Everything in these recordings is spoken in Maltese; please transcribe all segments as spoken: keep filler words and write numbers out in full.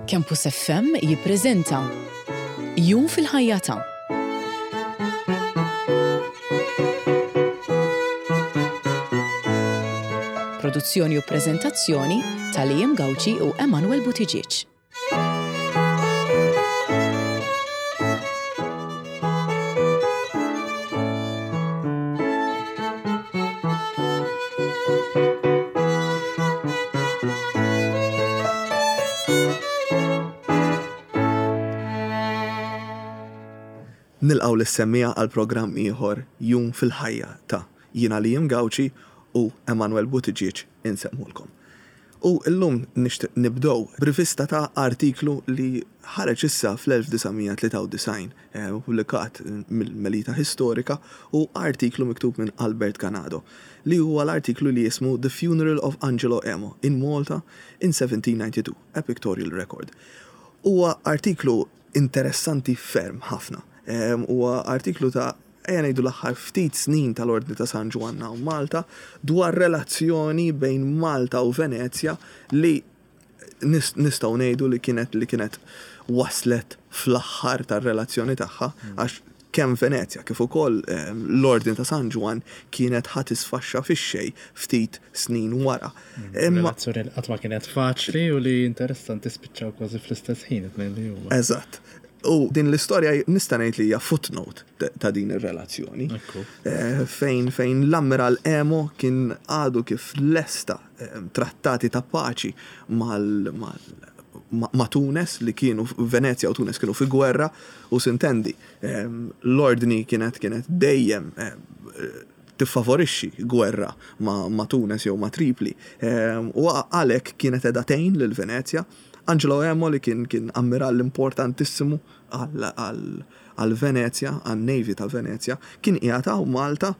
Campus F M jippreżenta Jum fil-ħajja ta' Produzzjoni u preżentazzjoni ta' Liam Gauci u Emanuel Buttigieg. Nilqgħu lis-semmiegħa għal programm ieħor, Jum fil-ħajja ta'. Jiena Liam Gauci u Emanuel Buttigieg insellmulkom. U illum nixtieq nibdew b'rivista ta' artiklu li ħareġ issa fl-elf disa' mija tlieta u disgħin, eh, publikat mill-Melita Historika, u artiklu miktub minn Albert Ganado li huwa l-artiklu li jismu The Funeral of Angelo Emo in Malta in seventeen ninety-two, a Pictorial Record. Huwa artiklu interessanti ferm ħafna. Huwa artiklu ta', ejja ngħidu, l-aħħar ftit snin tal-Ordni ta' San Ġwann u Malta, dwar relazzjoni bejn Malta u Venezja li nistgħu ngħidu li kienet li kienet waslet fl-aħħar tar-relazzjoni tagħha, għax kemm Venezja kif ukoll l-Ordni ta' San Ġwann kienet ħa tisfaxxa fix-xejn ftit snin wara. Imma relazzjoni li qatt ma kienet faċli u li interessanti spiċċaw kważi fl-istess ħin it-tnejn li huma. Eżatt. U din l-istorja nista' ngħid li hija footnote ta' din ir-relazzjoni. Ekku. Eh, fejn fejn l-Ammiral Emo kien għadu kif lesta eh, trattati ta' paċi mal, mal ma, ma' Tunes, li kienu Venezja u Tunes kienu fi gwerra u sintendi eh, l-ordni kienet kienet dejjem eh, tiffavorixxi gwerra ma, ma' Tunes jew ma' Tripli. Eh, u għalhekk kienet qiegħda tgħin lil Venezja. Angelo Emo, li kien kien ammiral importantissimu għal, għal, għal Venezja, għal Navy ta' Venezja, kien qiegħed hawn Malta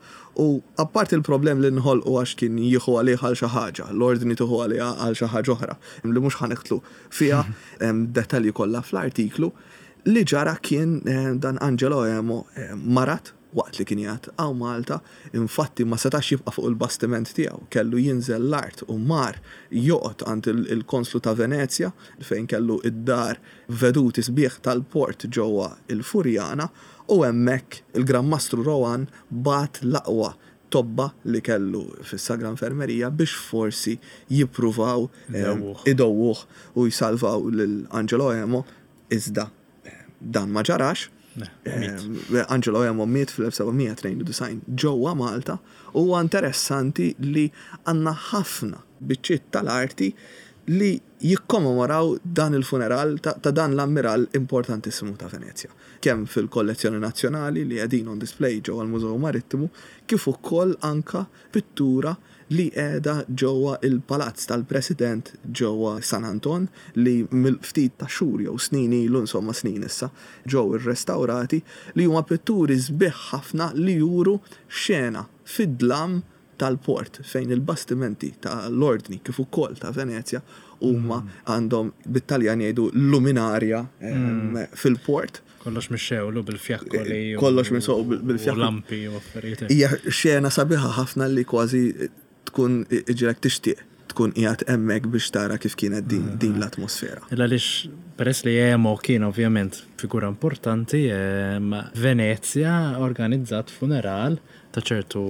u apparti il-problem li nħolqu għax kien jieħu għalih għal xi ħaġa, l-ordni tieħu għalih għal xi ħaġa oħra, li mhux ħa nidħlu fiha, hemm dettalji kollha fl-artiklu, li ġara kien eh, dan Angelo Emo eh, marat waqt li kien qiegħed hawn Malta, infatti ma setax jibqa' fuq il-bastiment tiegħu, kellu jinżel l-art u mar joqgħod għand il- il-konslu ta' Venezja, fejn kellu id-dar veduti sbieħ tal-port ġewwa il-Furjana, u hemmhekk il-Gran Mastru Rohan bagħat l-aqwa tobba li kellu fis-Sagra Infermerija biex forsi jippruvaw eh, idewwuh. Idewwuh u jsalvaw lil Angelo Emo, iżda eh, dan ma ġarax. Ne, miet. Eh, Angelo Emo miet fl-elf seba' mija tnejn u disgħin ġewwa Malta u huwa interessanti li għandna ħafna biċċiet tal-arti li jikkommemoraw dan il-funeral ta', ta dan l-ammiral importantissimu ta' Venezja. Kemm fil-kollezzjoni nazzjonali li qegħdin on display ġewwa l-Mużew Marittimu, kif ukoll anka pittura li qiegħda ġewwa il-Palazz tal-President ġewwa San Anton, li mill-ftit ta' xhur jew snin ilu, insomma snin issa, ġew irrestawrati, li huma pitturi sbieħ ħafna li juru xena fid-dlam tal-port fejn il-bastimenti tal-ordni kif ukoll ta' Venezja huma għandhom, bit-Taljan jgħidu, luminaria em, fil-port. Kollox mixgħul bil-fjakkoli. u- Kollox mixgħul bil- bil-fjakkoli. U lampi u affarijiet. Hija xena sabiħa ħafna li kważi tkun iġrek tixtieq tkun qiegħed hemmhekk biex tara kif kienet din, din l-atmosfera. Illa għaliex peress li Emo kien ovvjament figura importanti, em, Venezia organizzat funeral ta' ċertu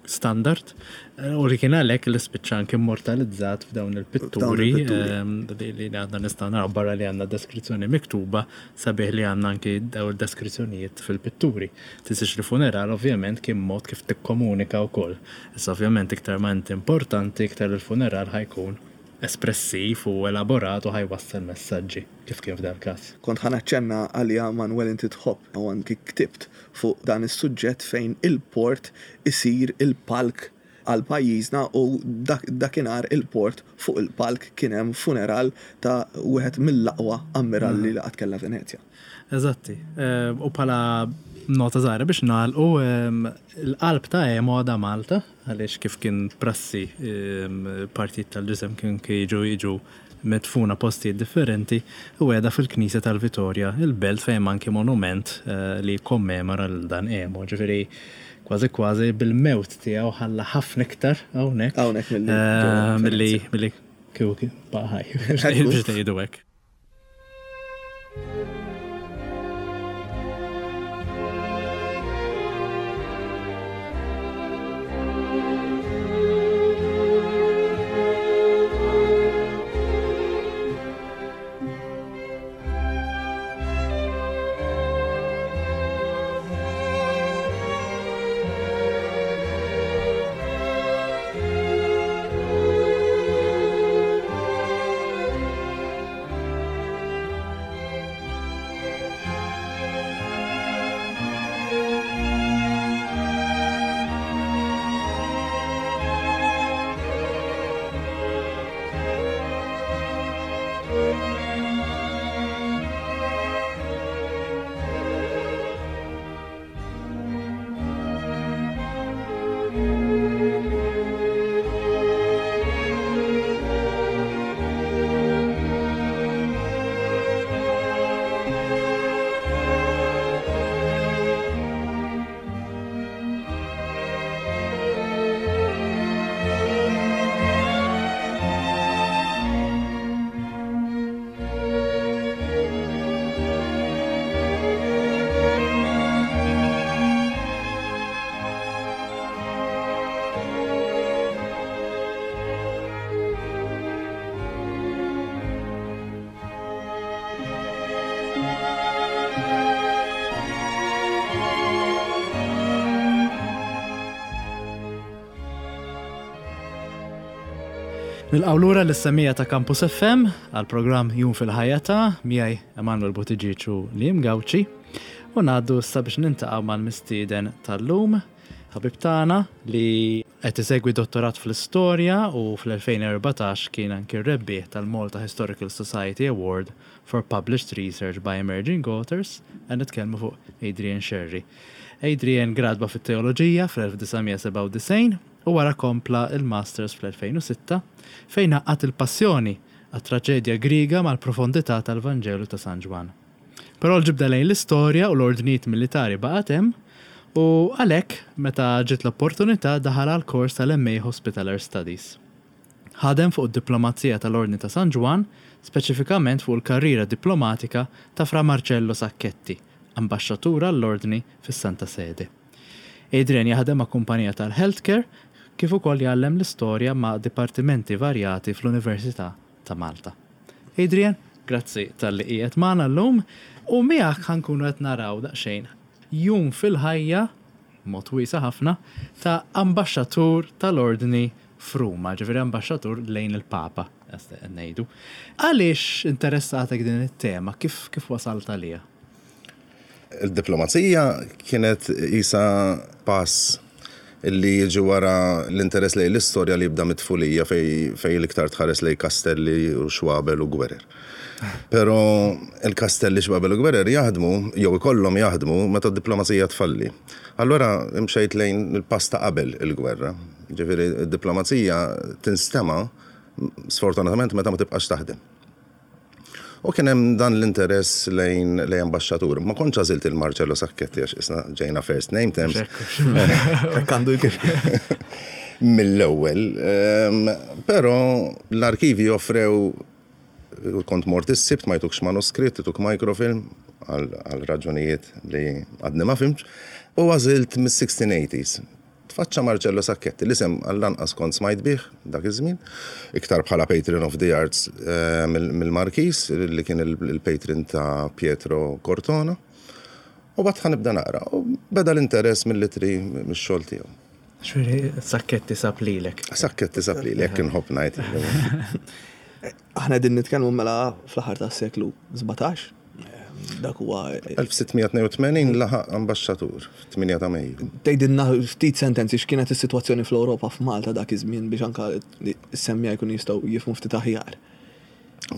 standard eh, u li kien għalhekk li spiċċa anke immortalizzat f'dawn il-pitturi il-pitturi. em, li li għandna nistgħu naraw barra li għandna deskrizzjoni miktuba, sabiħ li għandna anke daw il-deskrizzjonijiet fil-pitturi. Tinsiex li funeral ovvjament kien mod kif tikkomunika wkoll. Issa ovvjament iktar ma inti importanti, iktar il-funeral ħa jkun espressiv u elaborat u ħa jwassal messaġġi, kif kien f'dal każ. Kont ħa naċċenna għalija, Manuel, inti tħobb u anki ktibt fuq dan is-suġġett fejn il-port isir il-palk għal pajjiżna, u dak, dakinhar il-port fuq il-palk kien hemm funeral ta' wieħed mill-aqwa ammiralli li qatt kellha Venezja. Eżatti. Eh, U bħala nota żgħira biex nagħlqu, em, il-qalb ta' Emo għadha Malta, għaliex kif kien prassi, em, partijiet tal-ġisem kien jiġu jiġu medfuna postijiet differenti, u qiegħda fil-Knisja tal-Vitorja, il-Belt, fejn anki monument eh, li kommemora l dan Emo. Ġifieri kważi kważi bil-mewt tiegħu ħalla ħafna iktar hawnhekk Hawnhekk milli eh, ġewwa milli Venezja. milli kieku baqa' ħaj, biex tgħidu hekk. Nilqgħu lura lis-semmiegħa ta' Campus F M għal programm Jum fil-Ħajja ta' miegħi Emanuel Buttigieg u Liam Gauci u ngħaddu issa biex niltaqgħu mal-mistieden tal-lum, ħabib tagħna li qed isegwi dottorat fl-istorja u fl-elfejn u erbatax kien anki rebbieħ tal-Malta Historical Society Award for Published Research by Emerging Authors, qed nitkellmu fuq Adrian Scerri. Adrian gradwa fit-teoloġija fl-elf disa' mija sebgħa u disgħin u wara kompla il-Masters fl-elfejn u sitta fejn għaqqad il-passjoni għat-traġedja Griega mal-profondità tal-Vanġelu ta' San Ġwann. Però l-ġibda lejn l-istorja u l-ordnijiet militari baqgħet hemm u għalhekk meta ġiet l-opportunità daħal għal kors tal-M A Hospitaller Studies. Ħadem fuq id-diplomazija tal-Ordni ta' San Ġwann, speċifikament fuq il-karriera diplomatika ta' Fra Marcello Sacchetti, ambaxxatur għall-Ordni fis-Santa Sede. Adrian jaħdem ma' kumpanija tal-healthcare kif ukoll jgħallem l-istorja ma' dipartimenti varjati fl-Università ta' Malta. Adrian, grazzi talli qiegħed magħna llum u miegħek ħa nkunu qed naraw daqsxejn jum fil-ħajja, mod wiesa' ħafna, ta' ambaxxatur tal-Ordni f'Ruma, ġifieri ambaxxatur lejn il-Papa, ngħidu. Għaliex interessatek din it-tema? Kif, kif wasalt għalija? Il-diplomazija kienet isa pass illi jiġi wara l-interess lejn l-istorja li jibda mit-tfulija fej, fej l-iktar tħares lejn kastelli u xwabel u gwerer. Pero il-kastelli, xwabel u gwerer jaħdmu, jew ikollhom jaħdmu meta d-diplomazija tfalli. Allora imxejt lejn il-pass ta' qabel il-gwerra. Ġifieri d-diplomazija tinstema sfortunatament meta ma tibqax taħdem. U kien hemm dan l-interess lejn lejn ambaxxatur. Ma kontx għażilt il-Marcello Sacchetti għax isna ġejna first name terms. Hekk għandu jkun. Mill-ewwel. Ehm, Però l-arkivi offrew, kont mort is-Sibt, ma jtukx manuskritt, jtuk microfilm għal għal raġunijiet li għadni ma fhimtx, u għażilt mis-sixteen eighties. Tfaċċa Marcello Sacchetti, l-isem għall-anqas kont smajt bih dak iż-żmien, iktar bħala patron of the arts eh, mill- mill-Markis, li kien il- il-patron ta' Pietro Cortona. U bat ħa nibda naqra, u beda l-interess mill-ittri mix-xogħol tiegħu. Ġifieri Sacchetti sab lilek. Sacchetti sab li, jekk inħobb ngħid. Aħna din nitkellmu mela fl-aħħar tas-seklu sbatax. Dak huwa elf sitt mija tnejn u tmenin laħaq ambaxxatur, tmienja ta' Mejju. Tgħidilna ftit sentenzi x'kienet is-sitwazzjoni fl-Ewropa, f'Malta dak iż-żmien, biex anka s-semmiegħa jkun jistgħu jifhmu ftit aħjar.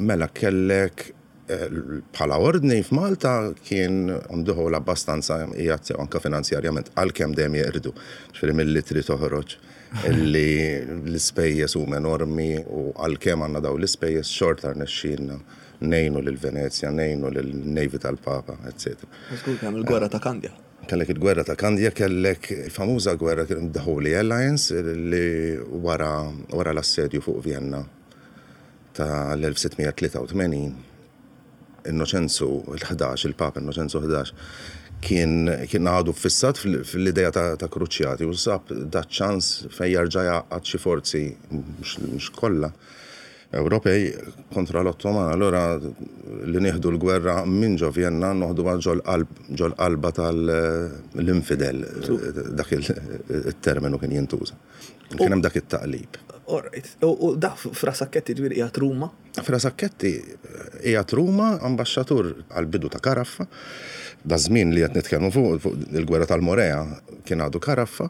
Mela kellek eh, bħala ordni f'Malta kien on the whole abbastanza qiegħed sew anka finanzjarjament, għalkemm dejjem jeqirdu. Ġifieri mill-ittri toħroġ illi l-ispejjeż huma enormi u għalkemm għandna daw l-ispejjeż xorta rnexxielna ngħinu lil Venezja, ngħinu lil Navy tal-Papa, eccetera. Żgur kemm il-gwerra ta' Kandja. Kellek il-gwerra ta' Kandja, kellek il-famuża gwerra kien The Holy Alliance li wara, wara l-assedju fuq Vienna ta' l-elf sitt mija tlieta u tmenin Innoċenzu l-ħdax, il-Papa Innoċenzu ħdax, kien kien għadu fissat fil-ideja ta', ta' kruċjati u sab da ċans fejn jarġa' jgħaqqad xi forzi mhux kollha Ewropej kontra l-Ottoman. Allora li nieħdu l-gwerra minn ġo Vienna noħdu ġol qalba tal-infidel, dak il-terminu kien jintuża. Kien hemm dak it-taqlib. All right. U da Fra Sacchetti ġifieri qiegħed Ruma? Fra Sacchetti qiegħed Ruma, ambaxxatur għal-bidu ta' Karaffa. Da żmien li qed nitkellmu fuq il-gwerra tal-Morea kien għadu Karaffa.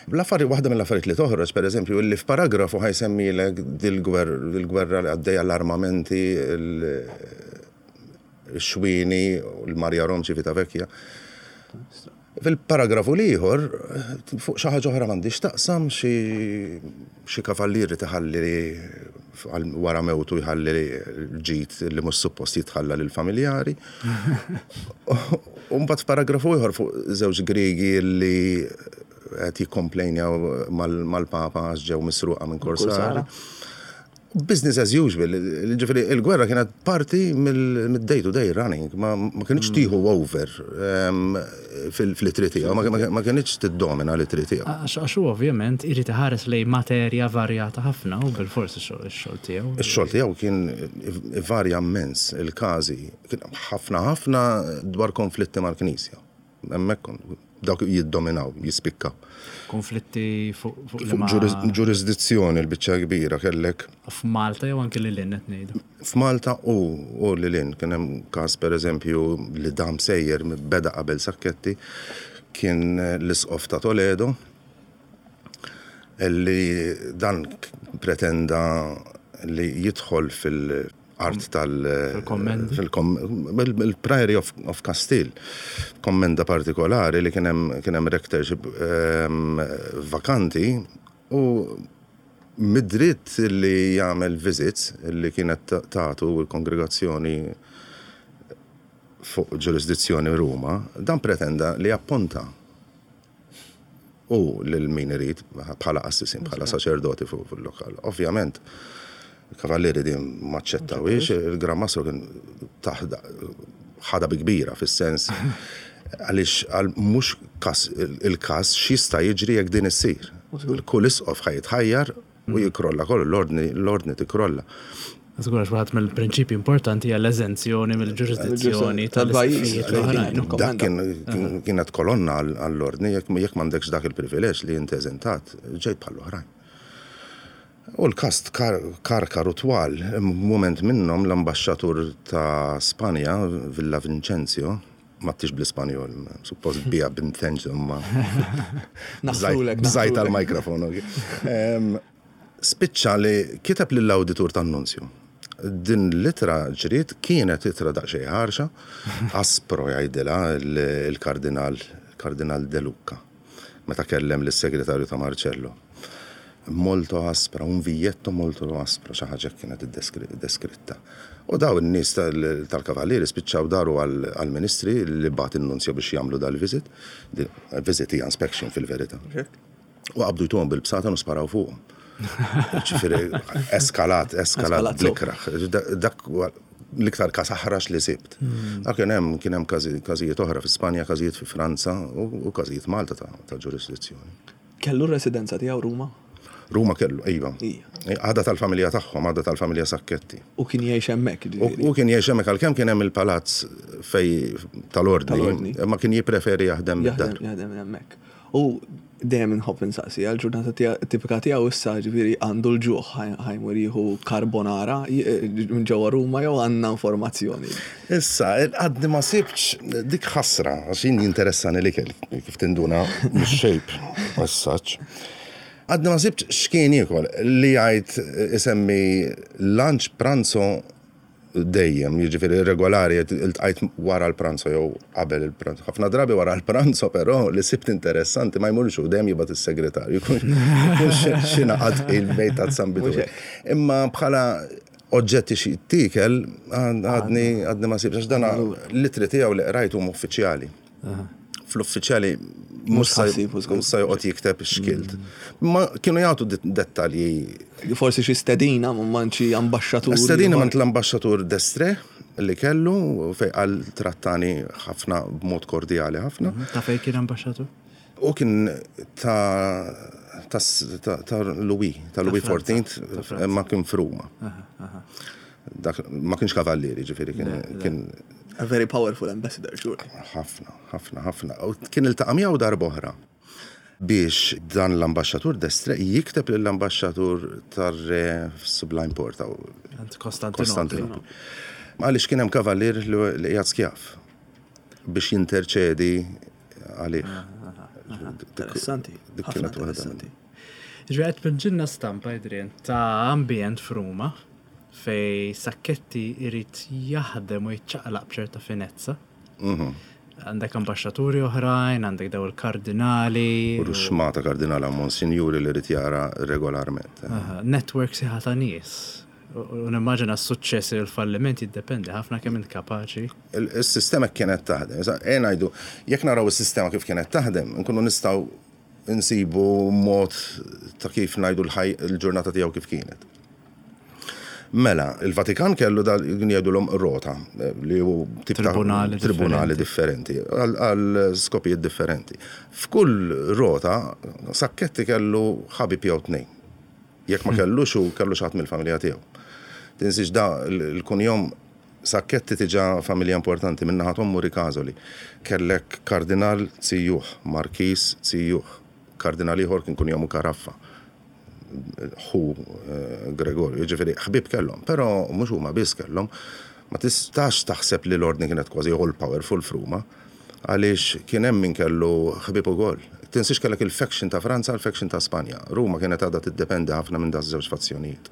L-affari waħda mill-affarijiet li toħroġ, pereżempju, li f'paragrafu ħa jsemmilek dil-gwerra li għaddejja, l-armamenti, il-xwini, l-Marja Rom Civitavecchia. Fil-paragrafu l-ieħor, fuq xi ħaġa oħra m'għandix taqsam, xi kavallieri tħalli wara mewtu jħalli ġid li mhux suppost jitħalla lil familjari. U mbagħad f'paragrafu ieħor fuq żewġ Griegi li qed jikkomplejnjaw mal-Papa għax ġew misruqa minn Korsari. Business as usual, ġifieri il-gwerra kienet parti mill-day to day running, ma kienx tieħu over fl-ittri tiegħu, ma kienx tiddomina l-ittri tiegħu. Għax hu ovvjament irid iħares lejn materja varjata ħafna u bil-forsi x-xogħol tiegħu. Ix-xogħol tiegħu kien varja immens, il-każi, kien ħafna ħafna dwar konflitti mal-Knisja. Hemmhekk dawk jiddominaw, jispikkaw. Konflitti fuq ġurisdizzjoni l-biċċa kbira kellek. F'Malta jew anke lil hinn qed ngħidu? F'Malta u u lil hinn kien hemm każ, pereżempju, li dam sejjer, beda qabel Sacchetti, kien l-isqof ta' Toledo li dan pretenda li jidħol fil- art tal fil-Priory of, of Castile, kommenda partikolari li kien hemm rectorship um, vakanti, u mid-dritt li jagħmel visits li kienet tagħtu l-kongregazzjoni fuq ġurisdizzjoni Ruma, dan pretenda li apponta u lil min irid bħala qassisin, bħala saċerdoti fuq il-lokal. Ovvjament, il-kavallieri din maċċettawix, il-Gran Mastro kien taħda ħada bi kbira, fis-sens għaliex għal mhux kas il-każ x'jista' jiġri jekk din issir. Kull isqof ħa jitħajjar u jikrolla kollu, l-ordni l-ordni tikrolla. Żgur, għax waħed mill-prinċipji importanti hija l-eżenzjoni mill-ġurisdizzjoni tal-pajjiż l-oħrajn. Dak kien kienet kolonna għall-ordni, jekk jekk m'għandekx dak il-privileġġ li inti eżentat, ġejt bħall-oħrajn. U l-każ karkar u twal, moment minnhom l-ambaxxatur ta' Spanja, Villa Vincenzio, ma tix bl-Ispanjol, suppost bija Vincenzo, ma bżajt tal-mikrofon. Spiċċa li kiteb lill-awditur tan-nunzju. Din l-ittra ġriet, kienet ittra daqsxejn ħarxa, aspro jgħidilha il-kardinal, kardinal De Luca, meta kellem lis-segretarju ta' Marcello. Molto aspra, un viglietto molto aspro, xi ħaġa kienet deskritta. U daw in-nies tal-kavallieri spiċċaw daru għall-ministri li bagħat in-nunzju biex jagħmlu dal-visit. Visit hija inspection fil-verità. U qabdu jtuhom bil-bsatan u sparaw fuqhom. Ġifieri eskalat, eskalat bl-ikraħ. Dak l-iktar każ aħrax li sibt. Dak kien hemm kien hemm każijiet oħra fi Spanja, każijiet fi Franza u każijiet Malta ta' ġurisdizzjoni. Kellu r-residenza tiegħu Ruma? Ruma kellu, iva. Għada tal-familja tagħhom, għada tal-familja Sacchetti. U kien jgħix hemmhekk, ġifieri. U kien jgħix hemmhekk għalkemm kien hemm il-palazz fej tal-ordni, ma kien jippreferi jaħdem mid-dar. Jaħdem hemmhekk. U dejjem inħobb insaqsi għal ġurnata tipika tiegħu issa, ġifieri għandu l-ġuħ, ħa jmur jieħu carbonara minn ġewwa Ruma jew għandna informazzjoni? Issa, għadni ma sibx dik, ħasra, għax jien jinteressani l-ikel, kif tinduna mix-shape as such. Għadni ma sibx x'kien jiekol, li jgħid isemmi lunch, pranzo dejjem, jiġifieri regolari, iltqajt wara l-pranzo jew qabel il-pranzo. Ħafna drabi wara l-pranzo, però li sibt interessanti ma jmurx u dejjem jibgħat is-segretarju. Jkun xi naqad il-bejt ta' San Bitu. Imma bħala oġġetti xi tikel għadni għadni ma sibx, għax dana l-ittri tiegħu li qrajt huma uffiċjali. Fl-uffiċjali mhux sa joqgħod jikteb x'kilt. Ma kienu jagħtu dettalji. Forsi xi stedina minn xi ambaxxatur. Stedina minn l-ambaxxatur D'Estrées, li kellu fej għal trattani ħafna b'mod kordjali ħafna. Ta' fej kien ambaxxatur? U kien ta' ta' ta' ta' Louis, ta' Louis fourteenth, ma kien f'Ruma. Dak ma kienx kavallieri, ġifieri kien kien A very powerful ambassador, sure. Ħafna, ħafna, ħafna. U kien iltaqa' miegħu darb'oħra biex dan l-ambaxxatur d'Estrées jikteb lill-ambaxxatur tar-re Sublime Porta Għand Kostantinopli. Kostantinopli. Għaliex kien hemm kavallier li li qiegħed skjav biex jinterċedi għalih. Interessanti. Dik Ħafna kienet waħda interessanti. Ġifieri qed tpinġilna stampa, Adrian, ta' ambjent f'Ruma fej Sacchetti irid jaħdem u jitċaqlaq b'ċerta finezza. Mhm. Għandek ambaxxaturi oħrajn, għandek daw il-kardinali. U ruxxmata kardinala monsinjuri li rrid jara regolarment. Aha, network sħiħa ta' nies. U u nimmaġina s-suċċess u l-falliment jiddependi ħafna kemm int kapaċi. Il- Il-sistema kienet taħdem. Issa, ejja ngħidu, jekk naraw is-sistema kif kienet taħdem, nkunu nistgħu nsibu mod ta' kif ngħidu l-ħaj il-ġurnata tiegħu kif kienet. Mela, il-Vatikan kellu dal jgħidulhom rota, eh, li hu tip ta' Tribunali tribunali differenti, għal għal skopijiet differenti. F'kull rota, Sacchetti kellu ħabib jew tnejn. Jekk ma kellux u kellu xi ħadd mill-familja tiegħu. Tinsiex da l-kunjom Sacchetti tiġa familja importanti minn naħa t'ommu Ricasoli. Kellek kardinal zijuh, markis zijuh, kardinal ieħor kien kunjomu Caraffa. Ħu eh, Gregorio, ġifieri ħbib kellhom, però mhux huma biss kellhom. Ma tistax taħseb li l-ordni kienet kważi all powerful f'Ruma, għaliex kien hemm min kellu ħbib ukoll. Tinsiex kellek il-faction ta' Franza, il-faction ta' Spanja. Ruma kienet għadha tiddependi ħafna minn da żewġ fazzjonijiet.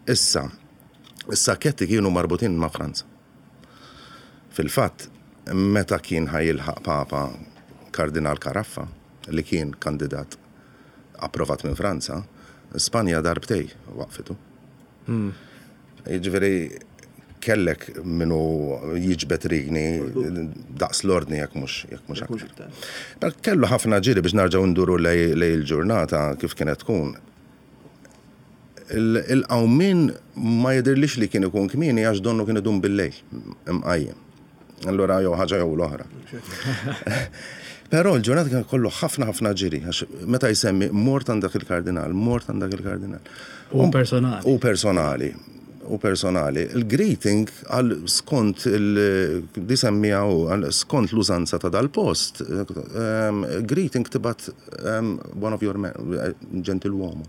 Issa, is-Sacchetti kienu marbutin ma' Franza. Fil-fatt, meta kien ħa jilħaq Papa Kardinal Caraffa, li kien kandidat approvat minn Franza, Spanja darbtej waqfitu. Jiġifieri kellek minu jiġbet rigni daqs l-ordni jekk mhux jekk mhux Mhux aktar. iktar. Dak kellu ħafna ġiri biex narġgħu nduru lej lej il-ġurnata kif kienet tkun. Il- Il-qawmin ma jidirlix li kien ikun kmieni għax donnu kien idum bil-lejl imqajjem. Allura jew ħaġa jew l-oħra. Però l-ġurnata kien kollu ħafna ħafna ġiri, għax meta jsemmi mort għandak il-kardinal, mort għandak il-kardinal. U personali. U personali. U personali. Il-greeting għal skont il- di semmija u għal skont l-użanza ta' dal-post, um, greeting tibgħat um, one of your men, gentiluomo.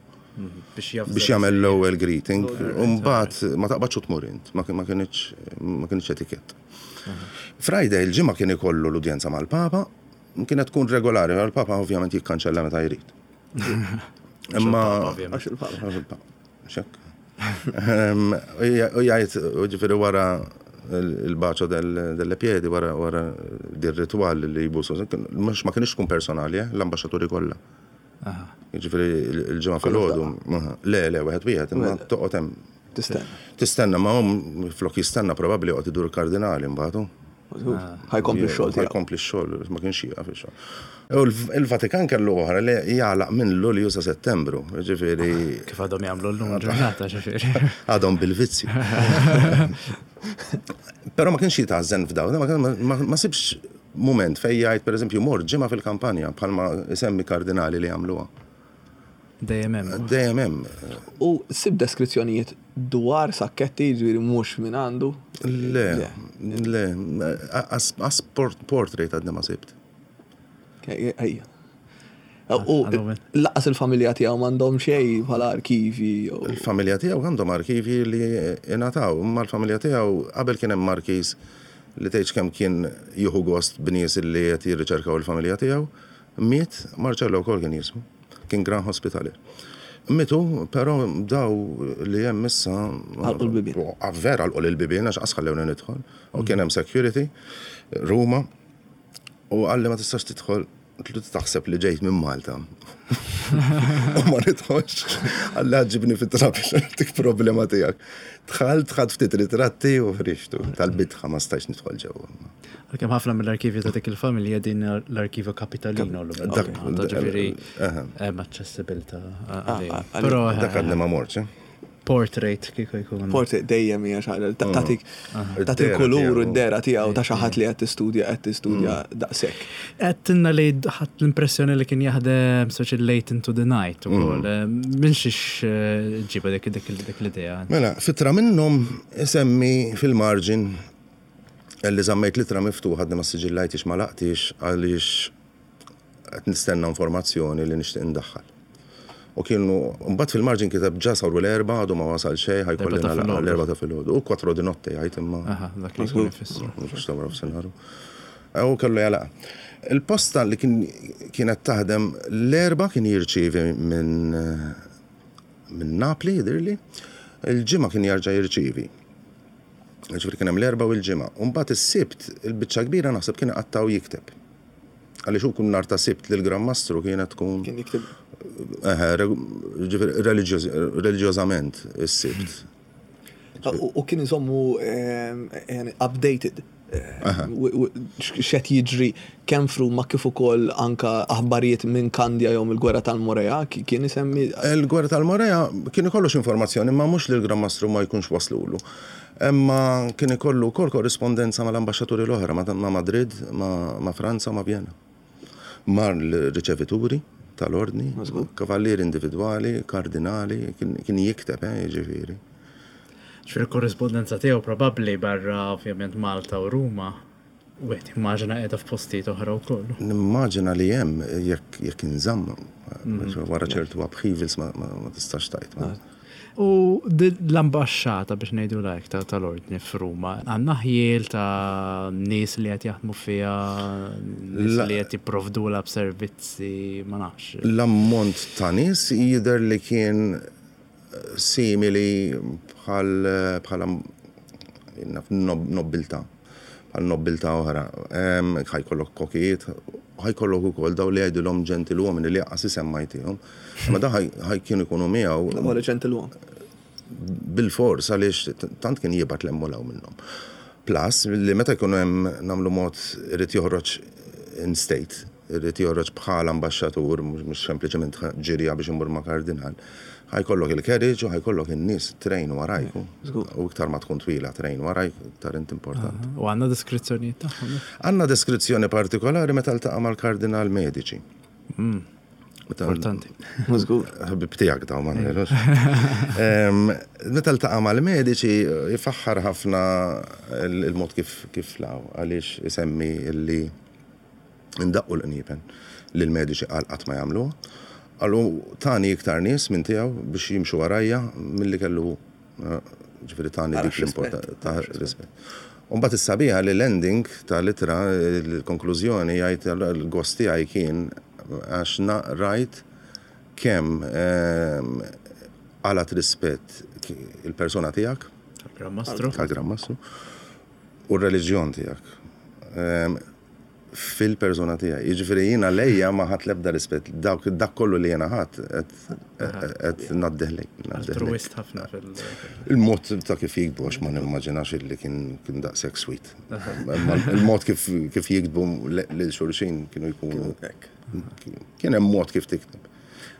Biex jafza. Biex jagħmel l-ewwel greeting, u mbagħad ma taqbadx u tmur int, ma ma kienx ma kienx etikett. Friday il-ġimgħa kien ikollu l-udjenza mal-Papa, kienet tkun regolari, l-Papa ovvjament jikkanċella meta jrid. Imma ovvjament. Għax il-Papa. Għax il-Papa. Xek. Ehm, U jgħid, u ġifieri wara il-bacio delle piedi, wara wara dir ritual li jbusu, mhux ma kienx tkun personali, eh, l-ambaxxaturi kollha. Aha. Ġifieri il-ġimgħa filgħodu, le, le, wieħed wieħed, imma toqgħod hemm. Tistenna. Tistenna ma hum flok jistenna probabbli joqgħod idur kardinali mbagħad. Ħa jkompli x-xogħol tiegħu. Ħa jkompli x-xogħol, ma kienx jieqaf ix-xogħol. U l-Vatikan kellu oħra li jagħlaq minn Lulju sa Settembru, ġifieri Kif għadhom jagħmlu llum ġurnata, ġifieri. Għadhom bil-vizzju. Però ma kienx jitgħażżen f'daw, ma, ma, ma sibx moment fej jgħid pereżempju mor ġimgħa fil-kampanja bħalma isemmi kardinali li jagħmluha. Dejjem hemm. Dejjem hemm. U sib deskrizzjonijiet dwar Sacchetti, ġifieri mhux minn għandu. Le, le, as, as port, portrait għadni ma sibt. Ejja. U Għandhom min. lanqas il-familja tiegħu m'għandhom xejn bħala arkivi. jew- Il-familja tiegħu għandhom arkivi li ingħataw, imma l-familja tiegħu qabel kien hemm markiż li tgħidx kemm kien jieħu gost b'nies li qed jirriċerkaw il-familja tiegħu, miet Marcello wkoll kien jismu, kien gran hospitalier. Mitu, però daw li hemm issa Għalqu l-bibien. Ah, vera għalqu l-bibien għax qas ħallewni nidħol. U kien hemm security, Ruma, u qalli ma tistax tidħol, tlu taħseb li ġejt minn Malta. U ma nidħolx. Qalli ħa ġġibni fit-trab dik problema tiegħek. Dħalt, ħadt ftit ritratti u ħriġtu. Tal-bitħa ma stajx nidħol ġewwa. Għalkemm ħafna mill-arkivji ta' dik il-familja din l-arkivju Kapitalino l Dak- Ġifieri aha. hemm aċċessibilità Ah, għalih. ah, Però Dak għadni ma mortx, eh? Portrait kieku jkun. Portrait dejjem hija xi ħaġa tagħtik tagħti Id-dehra il-kulur u tiegħu. d-dehra tiegħu ta' xi ħadd li qed tistudja qed tistudja daqshekk. Għedtilna li ħadt l-impressjoni li kien jaħdem such late into the night ukoll. Minn xiex ġiba dik dik dik l-idea. Mela, f'ittra minnhom isemmi fil-margin li żammejt l-ittra miftuħa għadni ma siġillajtix ma għalaqtix għaliex qed nistenna informazzjoni li nixtieq indaħħal. U kienu, mbagħad fil-margin kiteb ġa saru l-erba' għadu ma wasal xejn, ħa jkolli L-erba' ta' nagħlaq filgħodu. l-erba' ta' filgħodu. U quattro di notte jgħid imma. Aha, dak li jkun ifissru. Mhux ta' wara f'sinharu. U kellu jagħlaq. Il-posta li kien kienet taħdem l-erba' kien jirċievi minn minn Napli, jidirli, il-ġimgħa kien jarġa' jirċievi. Ġifieri kien hemm l-erba' u l-ġimgħa. U mbagħad is-Sibt, il-biċċa kbira naħseb kien iqattaw jikteb. Għaliex hu kun nhar ta' Sibt li l-Gran Mastru kienet tkun Kien jikteb eħe, ġifieri reliġjoż- reliġjożament is-Sibt. U u kien iżommu ehm, yani updated. Ehm, u- u- X'qed jiġri kemm f'Ruma kif ukoll anka aħbarijiet minn Kandja jew mill-gwerra tal-Morea ki- kien isemmi Il-gwerra tal-Morea kien ikollu informazzjoni ma mhux li l-Gran Mastru ma jkunx waslulu. Imma kien ikollu wkoll korrispondenza mal-ambaxxaturi l-oħra, ma' ma' Madrid, ma' ma' Franza u ma' Vienna. Mar l-riċevituri tal-ordni, kavallieri individwali, kardinali, kien kien jikteb, eh, jiġifieri. Ġifieri korrispondenza tiegħu probabbli barra ovvjament Malta u Ruma. Wieħed immaġina qiegħda f'postijiet oħra wkoll. Nimmaġina li hemm jekk jekk inżamm wara ċertu upheavals ma, ma, ma tistax tgħid. ma. U di- l-ambasċata biex ngħidu like ta' tal-ordni f'Ruma, għandna ħjiel ta' nies li qed jaħdmu fiha, nies La- li qed jipprovdula b'servizzi, ma nafx. L-ammont ta' nies jidher li kien simili bħal bħala naf, nob- nobbiltà, bħal nobbiltà oħra. Em, Ħa jkollok kokijiet, ħa jkollok ukoll daw li jgħidulhom gentiluomini li lanqas isem ma jtihom. Ma da ħaj kienu jkunu miegħu wara gentiluom. bil-fors għaliex tant kien jibgħat l-emmolaw minnhom. Plus, li meta jkunu hemm nagħmlu mod irid joħroġ in state, irid joħroġ bħala ambaxxatur, mhux mhux sempliċement ġirja biex imur ma' kardinal. Ħa jkollok il-carriage u ħa jkollok in-nies train warajk. U iktar ma tkun twila train warajk, iktar int importanti. U għandna deskrizzjonijiet tagħhom. Għandna deskrizzjoni partikolari meta ltaqa' mal-kardinal Medici. Meta- Importanti. Żgur. ħabib tiegħek daw Manuel. Em, Meta ltaqa' mal-Medici jifaħħar ħafna il- il-mod kif kif law għaliex isemmi illi indaqqu l-qniepen li l-Medici qal qatt ma jagħmluha. Qalu tani iktar nies minn tiegħu biex jimxu warajja milli kellu eh, ġifieri tani Ara dik l-importanza x'rispett, ta' rispett. Umbagħad is-sabiħa li l-ending tal-ittra, il-konklużjoni jgħid il-gost tiegħi kien għax na rajt kemm ehm, għalat rispett il-persona tiegħek, Tal-Gran Mastru. tal-Gran Mastru, u r-reliġjon tiegħek. Ehm, Fil-persona tiegħi. Jiġifieri jiena lejja ma ħadt l-ebda rispett. Dak dak kollu li jiena ħadd qed ngħaddih lejk. Altruist ħafna fil- Il-mod ta' kif jiktbu, għax ma nimmaġinax li kien kien daqshekk sweet. Imma Il-mod kif kif jiktbu lil xulxin kienu jkunu. Hekk. Kien hemm mod kif tikteb.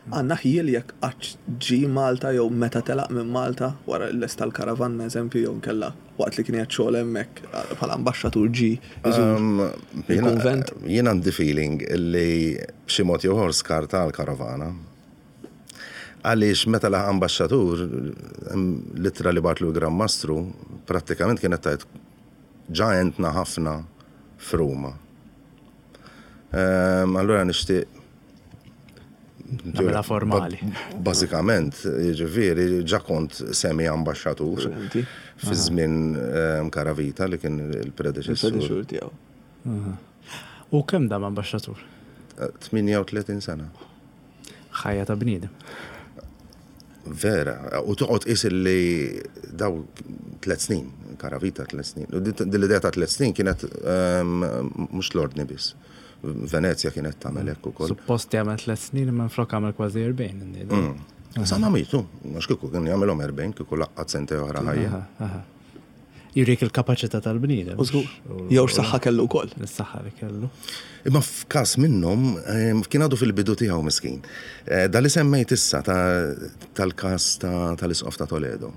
Għandna ħjiel jekk qatt ġie Malta jew meta telaq minn Malta wara l-lest tal-karavanna eżempju jew kella waqt li kien qed xogħol hemmhekk bħala ambaxxatur ġie iżur Um, il-kunvent. Jien għandi feeling li b'xi mod jew ieħor skarta l-karavana. Għaliex meta laħaq ambaxxatur, l-ittra li bagħatlu l-Gran Mastru, prattikament kienet tajt ġa għentna ħafna f'Ruma. Um, allura nixtieq Nagħmilha formali. Ba- Bażikament, jiġifieri, ġa kont semi ambaxxatur Inti? fi żmien ehm, Caravita li kien il-predeċessur. Il-predeċessur tiegħu. U kemm dam ambaxxatur? tmienja u tletin sena. Ħajja ta' bniedem. Vera, u toqgħod qis li daw tliet snin, Caravita tliet snin. U din l-idea ta' tliet snin kienet ehm, mhux l-ordni biss. Venezja kienet tagħmel hekk ukoll. Suppost jagħmel tliet snin imma flok għamel kważi erbgħin. Mm. Sa mitu, għax kieku kien jagħmelhom erbgħin, kieku laqqat sentejn oħra ħajja. Aha, aha. Jurik il-kapaċità tal-bniedem. U żgur. Jew x'saħħa kellu wkoll. Is-saħħa li kellu. Imma f'każ minnhom em, kien għadu fil-bidu tiegħu miskin. Eh, Da li semmejt issa ta- tal-każ ta- tal-isqof ta' Toledo.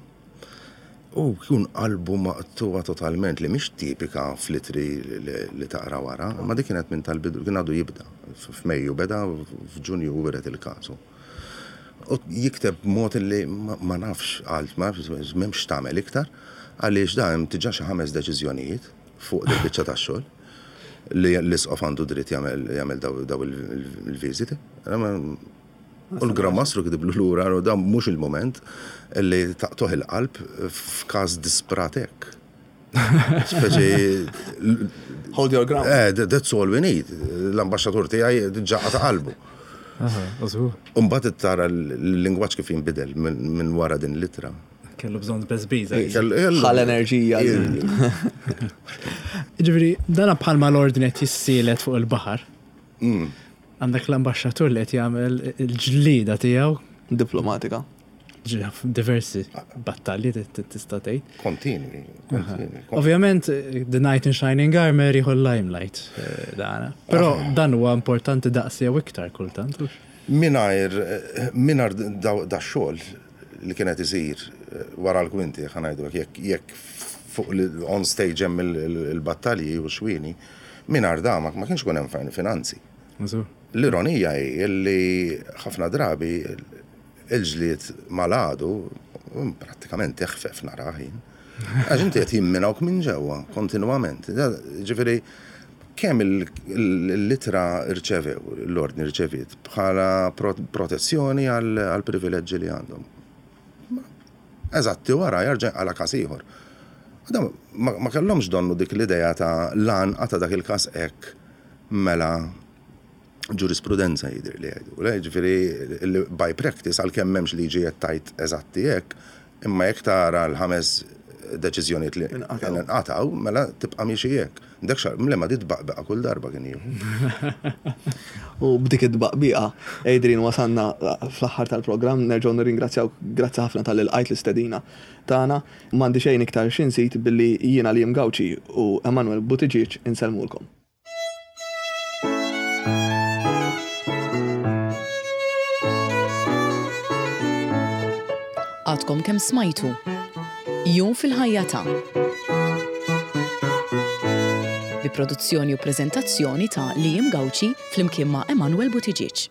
U kien qalbu maqtuwa totalment li mhix tipika fl-ittri li, li taqra wara, ma dik kienet minn tal-bidu, kien għadu jibda. F'Mejju beda, f'Ġunju wiret il-każu. U jikteb mod li ma ma nafx għal, ma nafx m'hemmx tagħmel iktar, għaliex da hemm diġà xi ħames deċiżjonijiet fuq il biċċa tax-xogħol li l-isqof għandu dritt jagħmel jagħmel daw daw il-viżiti. U l-Gran Mastru kitiblu lura u dan mhux il-moment li taqtagħ il-qalb f'każ disprat hekk. Speċi Hold your ground. Eh, that's all we need. L-ambaxxatur tiegħi diġà qata' qalbu. Aha, użgur. Umbagħad tara l-lingwaġġ kif jinbidel minn min wara din l-ittra. Kellu bżonn beżbiża. Ħal enerġija. Ġifieri, dana bħalma l-ordni qed jissielet fuq il-baħar. Mm. Għandek l-ambaxxatur li qed jagħmel il-ġlida tiegħu Diplomatika. ġi- diversi battalji tista' tgħid. Kontinwi, kontinwi. Ovvjament, The Knight in Shining Armor jieħu l-limelight eh, dana. Però dan huwa importanti daqs jew iktar kultant. hux? Mingħajr, mingħajr da, da xogħol li kienet isir eh, wara l-kwinti, ħa ngħidu jekk jekk fuq l- on stage hemm il- il- il-battalji u xwini, mingħajr da ma ma kienx ikun hemm fin- finanzi. Użur. L-ironija hi li ħafna drabi il-ġlied mal-għadu mm, prattikament teħfef naraħin. Għax inti qed jimminawk minn ġewwa kontinwament. Da- Ġifieri kemm il- il- l-ittra rċevew, l-ordni rċeviet bħala pro- protezzjoni għal għal privileġġi li għandhom. Ma- Eżatti wara jarġa' għala każ ieħor. Da ma ma kellhomx donnu dik l-idea ta' lan ta' dak il-każ hekk mela ġurisprudenza jidir li jgħidu. Le, ġifieri, li by practice, għalkemm m'hemmx liġi qed tgħid eżatti hekk, imma jekk tara l-ħames deċiżjonijiet li Inqatgħu. inqatgħu, mela tibqa' miexi hekk. Dak xar, mlema di tbaqbaqa kull darba kien jieħu. U b'dik id-baqbiqa, Adrian, wasanna fl-aħħar tal-programm, nerġgħu nirringrazzjaw, grazzi ħafna tal-lqajt l-istedina tagħna. M'għandi xejn iktar x'inżid billi jiena Liam Gauci u Emanuel Buttigieg insellmulkom. Għadkom kemm smajtu. Jum fil-ħajja ta' bi produzzjoni u preżentazzjoni ta' Liam Gauci flimkien ma' Emanuel Buttigieg.